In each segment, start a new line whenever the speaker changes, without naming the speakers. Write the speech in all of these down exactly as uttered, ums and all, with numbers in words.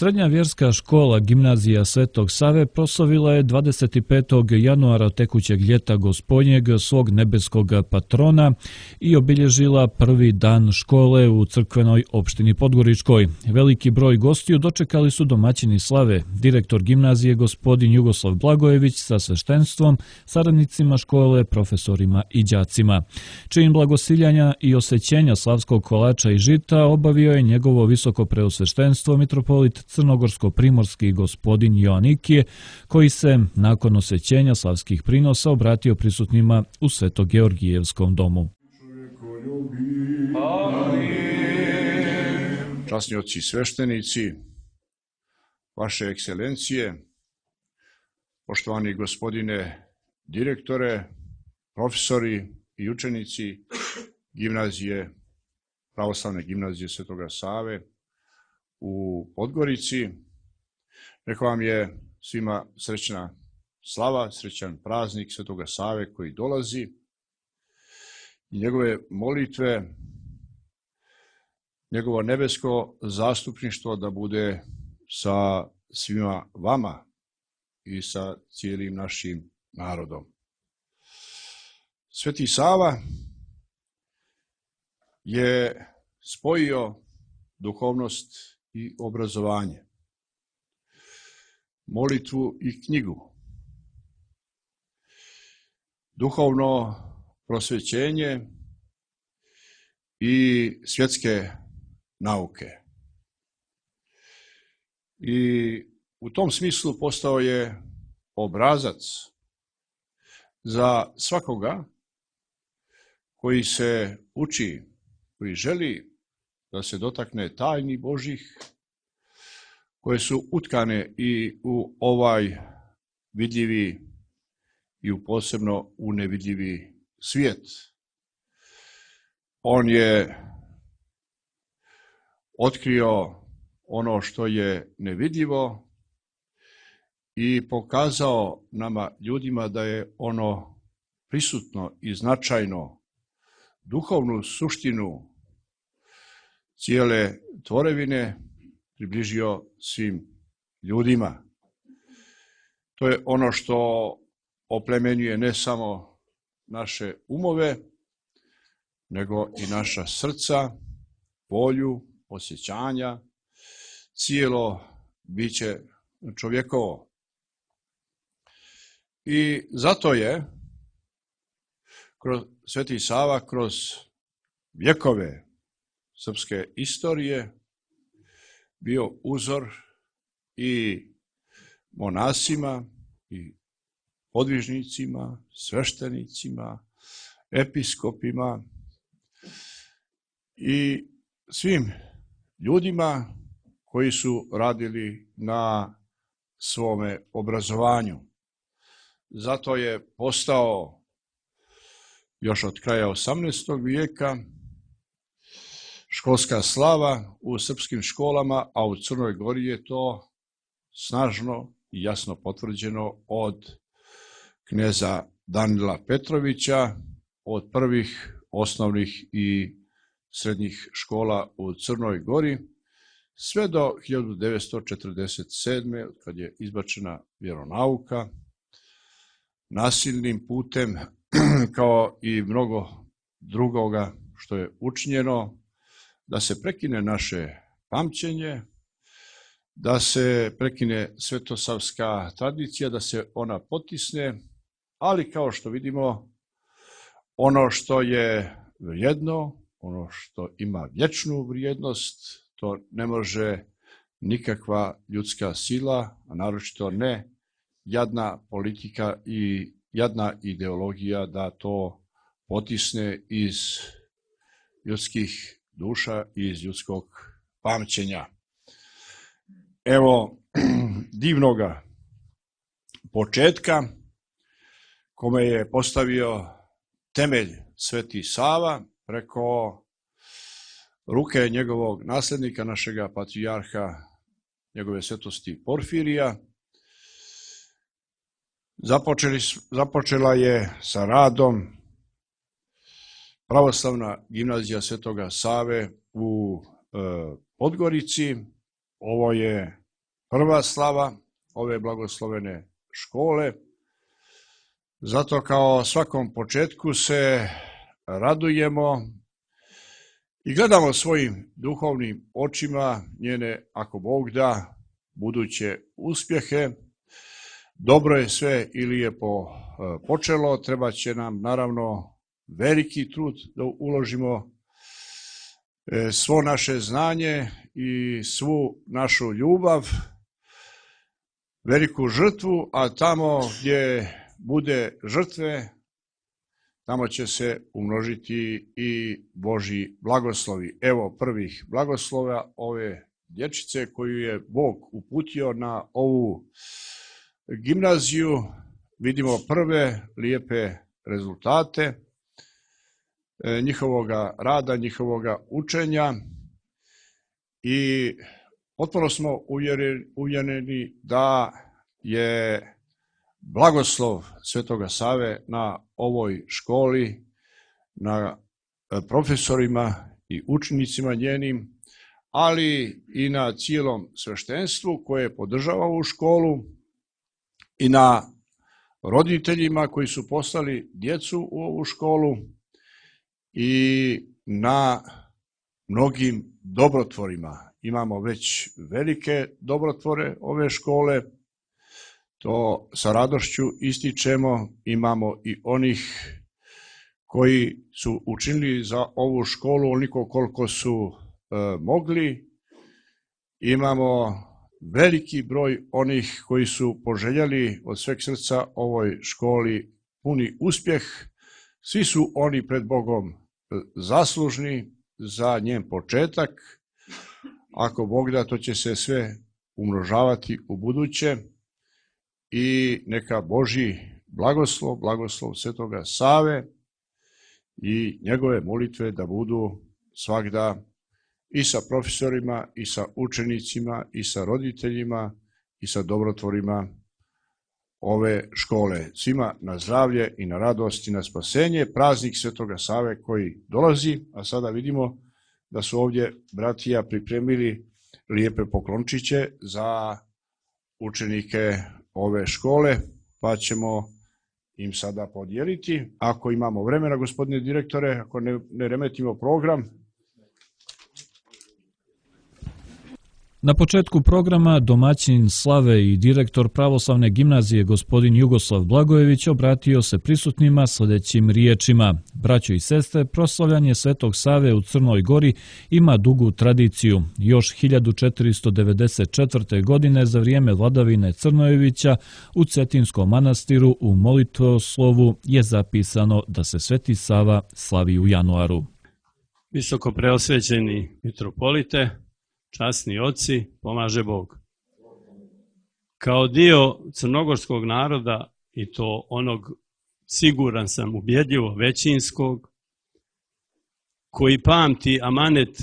Srednja vjerska škola Gimnazija Svetog Save proslavila je dvadeset petog januara tekućeg ljeta Gospodnjeg svog nebeskog patrona i obilježila prvi dan škole u crkvenoj opštini Podgoričkoj. Veliki broj gostiju dočekali su domaćini slave, direktor gimnazije gospodin Jugoslav Blagojević sa sveštenstvom, saradnicima škole, profesorima i đacima. Čin blagosiljanja i osvećenja slavskog kolača i žita obavio je njegovo visoko preosveštenstvo mitropolit crnogorsko-primorski gospodin Joanikije, koji se nakon osvećenja slavskih prinosa obratio prisutnima u Sveto-Georgijevskom domu.
Časni oci sveštenici, vaše ekscelencije, poštovani gospodine direktore, profesori i učenici gimnazije, pravoslavne gimnazije Svetoga Save u Podgorici. Neka vam je svima srećna slava, srećan praznik Svetoga Save koji dolazi i njegove molitve, njegovo nebesko zastupništvo da bude sa svima vama i sa cijelim našim narodom. Sveti Sava je spojio duhovnost i obrazovanje, molitvu i knjigu, duhovno prosvećenje i svjetske nauke. I u tom smislu postao je obrazac za svakoga koji se uči, koji želi da se dotakne tajni Božjih, koje su utkane i u ovaj vidljivi i u posebno u nevidljivi svijet. On je otkrio ono što je nevidljivo i pokazao nama ljudima da je ono prisutno i značajno, duhovnu suštinu cijele tvorevine približio svim ljudima. To je ono što oplemenjuje ne samo naše umove, nego i naša srca, volju, osjećanja, cijelo biće čovjekovo. I zato je kroz Sveti Sava, kroz vjekove srpske istorije bio uzor i monasima i podvižnicima, sveštenicima, episkopima i svim ljudima koji su radili na svome obrazovanju. Zato je postao još od kraja osamnaestog vijeka školska slava u srpskim školama, a u Crnoj Gori je to snažno i jasno potvrđeno od kneza Danila Petrovića, od prvih osnovnih i srednjih škola u Crnoj Gori, sve do hiljadu devetsto četrdeset sedme. kad je izbačena vjeronauka nasilnim putem, kao i mnogo drugoga što je učinjeno, da se prekine naše pamćenje, da se prekine svetosavska tradicija, da se ona potisne, ali kao što vidimo, ono što je vrijedno, ono što ima vječnu vrijednost, to ne može nikakva ljudska sila, a naročito ne jadna politika i jadna ideologija da to potisne iz ljudskih duša i iz ljudskog pamćenja. Evo divnoga početka kome je postavio temelj Sveti Sava preko ruke njegovog nasljednika, našega patrijarha, njegove svetosti Porfirija. Započeli, započela je sa radom pravoslavna gimnazija Svetoga Save u e, Podgorici. Ovo je prva slava ove blagoslovene škole. Zato kao svakom početku se radujemo i gledamo svojim duhovnim očima njene, ako Bog da, buduće uspjehe. Dobro je sve ili je po, počelo, treba će nam naravno veliki trud da uložimo svo naše znanje i svu našu ljubav, veliku žrtvu, a tamo gdje bude žrtve, tamo će se umnožiti i Božji blagoslovi. Evo prvih blagoslova ove dječice koju je Bog uputio na ovu gimnaziju. Vidimo prve lijepe rezultate njihovoga rada, njihovoga učenja i potpuno smo uvjereni da je blagoslov Svetoga Save na ovoj školi, na profesorima i učenicima njenim, ali i na cijelom sveštenstvu koje podržava ovu školu i na roditeljima koji su poslali djecu u ovu školu i na mnogim dobrotvorima. Imamo već velike dobrotvore ove škole, to sa radošću ističemo. Imamo i onih koji su učinili za ovu školu onoliko koliko su e, mogli. Imamo veliki broj onih koji su poželjeli od sveg srca ovoj školi puni uspjeh. Svi su oni pred Bogom zaslužni za njen početak. Ako Bog da, to će se sve umnožavati u buduće i neka Božji blagoslov, blagoslov Svetoga Save i njegove molitve da budu svagda i sa profesorima, i sa učenicima, i sa roditeljima, i sa dobrotvorima ove škole. Svima na zdravlje i na radost i na spasenje. Praznik Svetoga Save koji dolazi, a sada vidimo da su ovdje bratija pripremili lijepe poklončiće za učenike ove škole, pa ćemo im sada podijeliti. Ako imamo vremena, gospodine direktore, ako ne, ne remetimo program.
Na početku programa domaćin slave i direktor pravoslavne gimnazije gospodin Jugoslav Blagojević obratio se prisutnima sljedećim riječima. Braćo i sestre, proslavljanje Svetog Save u Crnoj Gori ima dugu tradiciju. Još hiljadu četiristo devedeset četvrte. godine za vrijeme vladavine Crnojevića u Cetinskom manastiru u molitvoslovu je zapisano da se Sveti Sava slavi u januaru.
Visoko preosvećeni mitropolite, časni oci, pomaže Bog. Kao dio crnogorskog naroda, i to onog, siguran sam, ubjedljivo većinskog, koji pamti amanet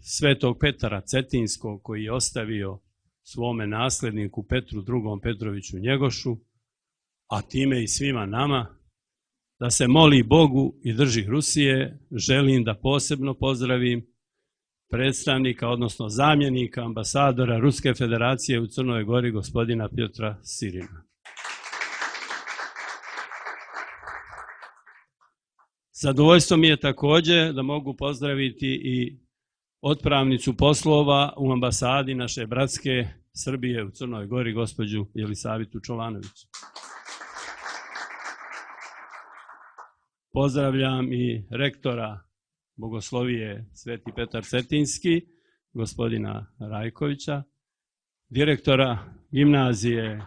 Svetog Petara Cetinskog, koji je ostavio svome nasledniku Petru drugom Petroviću Njegošu, a time i svima nama, da se moli Bogu i drži Rusije, želim da posebno pozdravim predstavnika, odnosno zamjenika ambasadora Ruske federacije u Crnoj Gori, gospodina Pjotra Sirina. Zadovoljstvo mi je također da mogu pozdraviti i otpravnicu poslova u ambasadi naše bratske Srbije u Crnoj Gori, gospođu Jelisavitu Čovanović. Pozdravljam i rektora Bogoslovije Sveti Petar Cetinski, gospodina Rajkovića, direktora gimnazije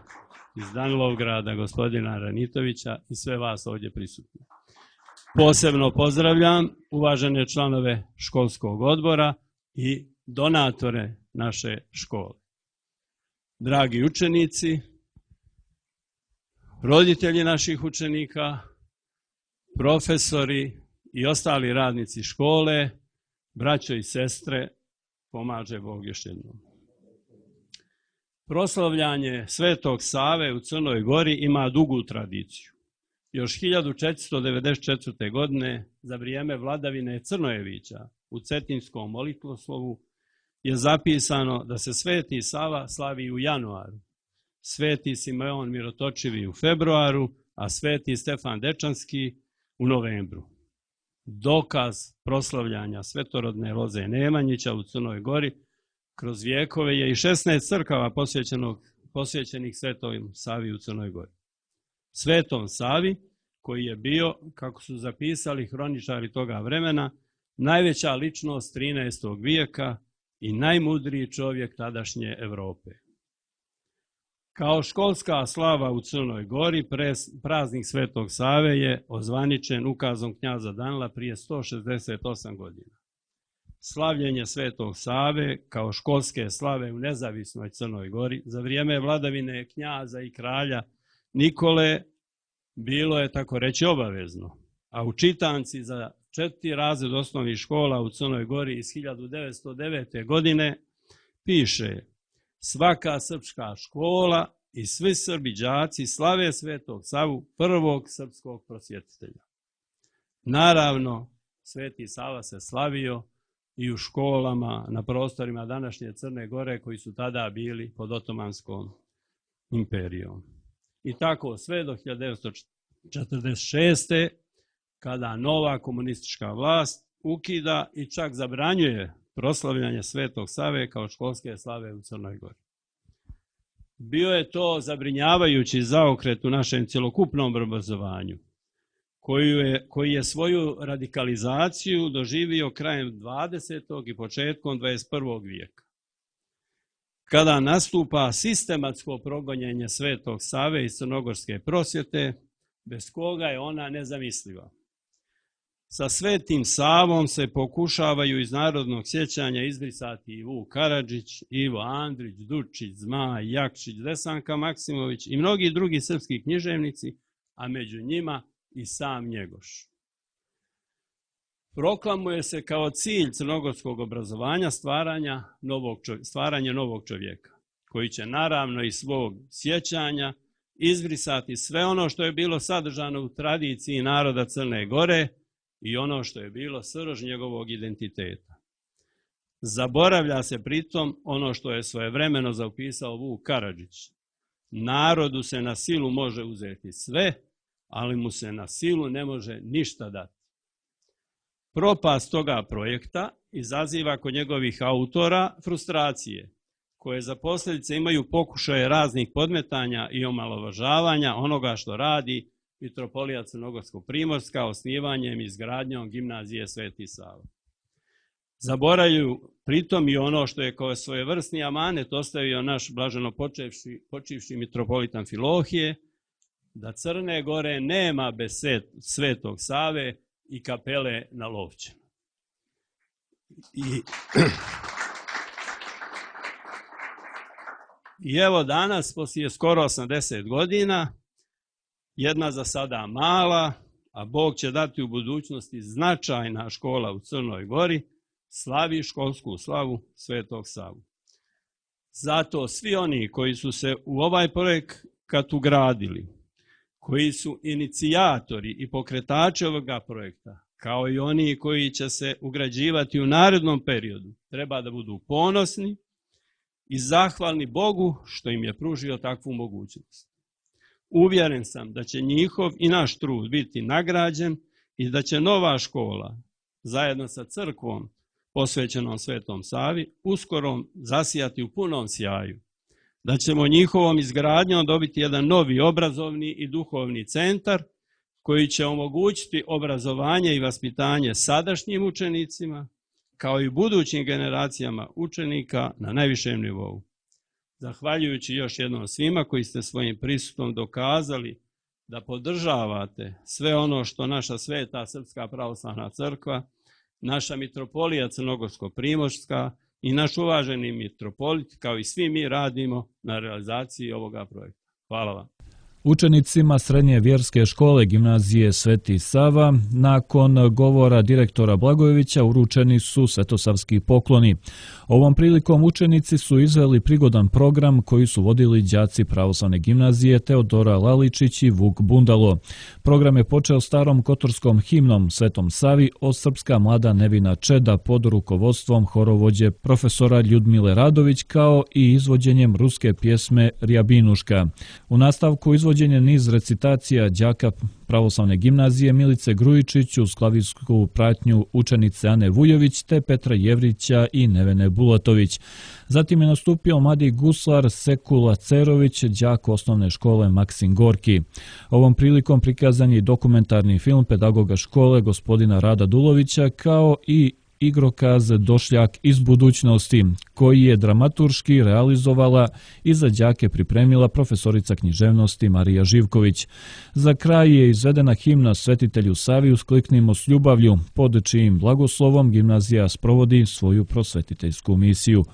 iz Danilovgrada, gospodina Ranitovića i sve vas ovdje prisutni. Posebno pozdravljam uvažene članove školskog odbora i donatore naše škole. Dragi učenici, roditelji naših učenika, profesori i ostali radnici škole, braćo i sestre, pomaže Bog još jednom. Proslavljanje Svetog Save u Crnoj Gori ima dugu tradiciju. Još hiljadu četiristo devedeset četvrte. godine za vrijeme vladavine Crnojevića u Cetinskom molitvoslovu je zapisano da se Sveti Sava slavi u januaru, Sveti Simeon Mirotočivi u februaru, a Sveti Stefan Dečanski u novembru. Dokaz proslavljanja svetorodne loze Nemanjića u Crnoj Gori kroz vijekove je i šesnaest crkava posvećenih Svetom Savi u Crnoj Gori. Svetom Savi, koji je bio, kako su zapisali hroničari toga vremena, najveća ličnost trinaestog vijeka i najmudriji čovjek tadašnje Europe. Kao školska slava u Crnoj Gori, praznik Svetog Save je ozvaničen ukazom knjaza Danila prije sto šezdeset osam godina. Slavljenje Svetog Save kao školske slave u nezavisnoj Crnoj Gori za vrijeme vladavine knjaza i kralja Nikole bilo je, tako reći, obavezno, a u čitanci za četiri razred osnovnih škola u Crnoj Gori iz hiljadu devetsto devete. godine piše: svaka srpska škola i svi Srbi đaci slave Svetog Savu, prvog srpskog prosvjetitelja. Naravno, Sveti Sava se slavio i u školama na prostorima današnje Crne Gore koji su tada bili pod Otomanskom imperijom. I tako sve do hiljadu devetsto četrdeset šeste. kada nova komunistička vlast ukida i čak zabranjuje proslavljanje Svetog Save kao školske slave u Crnoj Gori. Bio je to zabrinjavajući zaokret u našem cjelokupnom obrazovanju, koji je, koji je svoju radikalizaciju doživio krajem dvadesetog i početkom dvadeset prvog vijeka. Kada nastupa sistematsko progonjenje Svetog Save iz crnogorske prosvjete, bez koga je ona nezamisliva. Sa Svetim Savom se pokušavaju iz narodnog sjećanja izbrisati i Vuk Karadžić, Ivo Andrić, Dučić, Zmaj, Jakšić, Desanka Maksimović i mnogi drugi srpski književnici, a među njima i sam Njegoš. Proklamuje se kao cilj crnogorskog obrazovanja stvaranja novog, stvaranje novog čovjeka, koji će naravno iz svog sjećanja izbrisati sve ono što je bilo sadržano u tradiciji naroda Crne Gore i ono što je bilo srž njegovog identiteta. Zaboravlja se pritom ono što je svojevremeno zapisao Vuk Karadžić. Narodu se na silu može uzeti sve, ali mu se na silu ne može ništa dati. Propast toga projekta izaziva kod njegovih autora frustracije, koje za posljedice imaju pokušaje raznih podmetanja i omalovažavanja onoga što radi Mitropolija Crnogorsko-Primorska osnivanjem i izgradnjom gimnazije Sveti Sava. Zaboravljaju pritom i ono što je kao svojevrsni amanet ostavio naš blaženo počivši, počivši mitropolitan Filohije, da Crne Gore nema bez Svetog Save i kapele na Lovćenu. I, I evo danas, poslije skoro osamdeset godina, jedna za sada mala, a Bog će dati u budućnosti značajna škola u Crnoj Gori, slavi školsku slavu Svetog Savu. Zato svi oni koji su se u ovaj projekat ugradili, koji su inicijatori i pokretači ovoga projekta, kao i oni koji će se ugrađivati u narednom periodu, treba da budu ponosni i zahvalni Bogu što im je pružio takvu mogućnost. Uvjeren sam da će njihov i naš trud biti nagrađen i da će nova škola, zajedno sa crkvom posvećenom Svetom Savi, uskoro zasijati u punom sjaju. Da ćemo njihovom izgradnjom dobiti jedan novi obrazovni i duhovni centar koji će omogućiti obrazovanje i vaspitanje sadašnjim učenicima, kao i budućim generacijama učenika na najvišem nivou. Zahvaljujući još jednom svima koji ste svojim prisustvom dokazali da podržavate sve ono što naša Sveta Srpska pravoslavna crkva, naša mitropolija Crnogorsko-Primorska i naš uvaženi mitropolit, kao i svi mi radimo na realizaciji ovoga projekta. Hvala vam.
Učenicima srednje vjerske škole gimnazije Sveti Sava nakon govora direktora Blagojevića uručeni su svetosavski pokloni. Ovom prilikom učenici su izveli prigodan program koji su vodili đaci pravoslavne gimnazije Teodora Laličić i Vuk Bundalo. Program je počeo starom kotorskom himnom Svetom Savi od srpska mlada nevina čeda pod rukovodstvom horovođe profesora Ljudmile Radović kao i izvođenjem ruske pjesme Rjabinuška. U nastavku izvođenje niz recitacija đaka pravoslavne gimnazije Milice Grujičić uz klavijsku pratnju učenice Ane Vujović te Petra Jevrića i Nevene Bulatović. Zatim je nastupio mladi guslar Sekula Cerović, đak osnovne škole Maksim Gorki. Ovom prilikom prikazan je dokumentarni film pedagoga škole gospodina Rada Dulovića kao i igrokaz Došljak iz budućnosti, koji je dramaturški realizovala i za đake pripremila profesorica književnosti Marija Živković. Za kraj je izvedena himna Svetitelju Savi Uskliknimo s ljubavlju, pod čijim blagoslovom gimnazija sprovodi svoju prosvetiteljsku misiju.